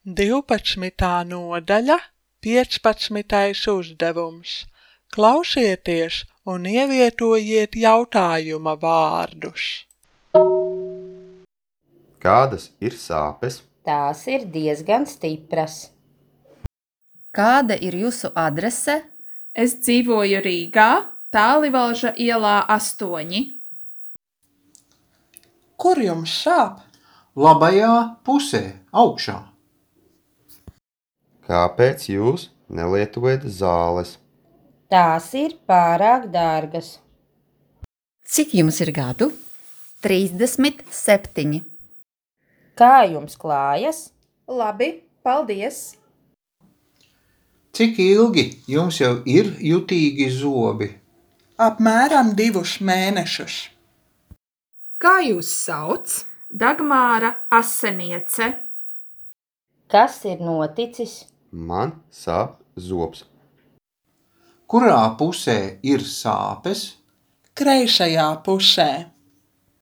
12. nodaļa, 15. uzdevums. Klausieties un ievietojiet jautājuma vārdus. Kādas ir sāpes? Tās ir diezgan stipras. Kāda ir jūsu adrese? Es dzīvoju Rīgā, Tālivalža ielā 8. Kur jums sāp? Labajā pusē, augšā. Kāpēc jūs nelietojat zāles? Tās ir pārāk dārgas. Cik jums ir gadu? 37. Kā jums klājas? Labi, paldies! Cik ilgi jums jau ir jutīgi zobi? Apmēram 2 mēnešus. Kā jūs sauc? Dagmāra Aseniece. Kas ir noticis? Man sāp zobs. Kurā pusē ir sāpes? Kreisajā pusē.